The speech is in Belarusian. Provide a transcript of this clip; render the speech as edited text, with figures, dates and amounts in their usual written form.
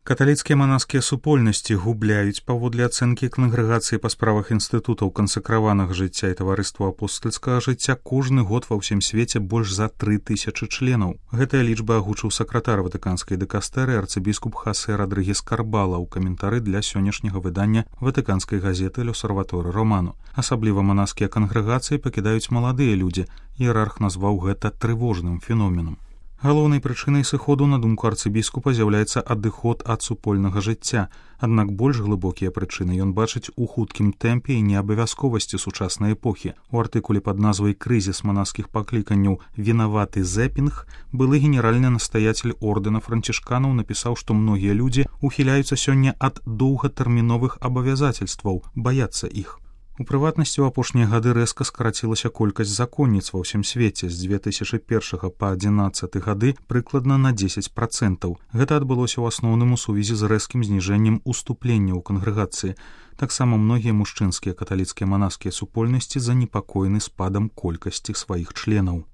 Каталіцкія манаскія супольнасці губляюць паводле ацэнкі кангрэгацыі па справах інстытутаў кансакраванага жыцця і таварыства апостальскага жыцця кожны год ва ўсім свеце больш за 3000 членаў. Гэтая лічба агучыў сакратар ватыканскай дыкастэрыі арцыбіскуп Хасе Радрыгес Карбала ў каментары для сённяшняга выдання ватыканскай газеты «L'Osservatore Romano». Асабліва манаскія кангрэгацыі пакідаюць маладыя людзі. Іерарх назваў гэта трывожным феноменам. Галоўнай прычынай сыходу, на думку арцыбіскупа, з'яўляецца адыход ад супольнага жыцця. Аднак больш глыбокія прычыны ён бачыць у хуткім тэмпе і неабавязковасці сучаснай эпохі. У артыкуле пад назвай «Крызіс манаскіх пакліканняў. Вінаваты зэпінг» былы генеральны настаяцель ордэна францішканаў напісаў, што многія людзі ухіляюцца сёння ад доўгатэрміновых абавязацельстваў, баяцца іх. У прыватнасці, у апошнія гады рэзка скарацілася колькасць законніц ва ўсім свеце з 2001 па 2011 гады прыкладна на 10%. Гэта адбылося ў асноўным у сувязі з рэзкім зніжэннем уступлення ў кангрэгацыі. Таксама многія мужчынскія каталіцкія манаскія супольнасці занепакоены спадам колькасці сваіх членаў.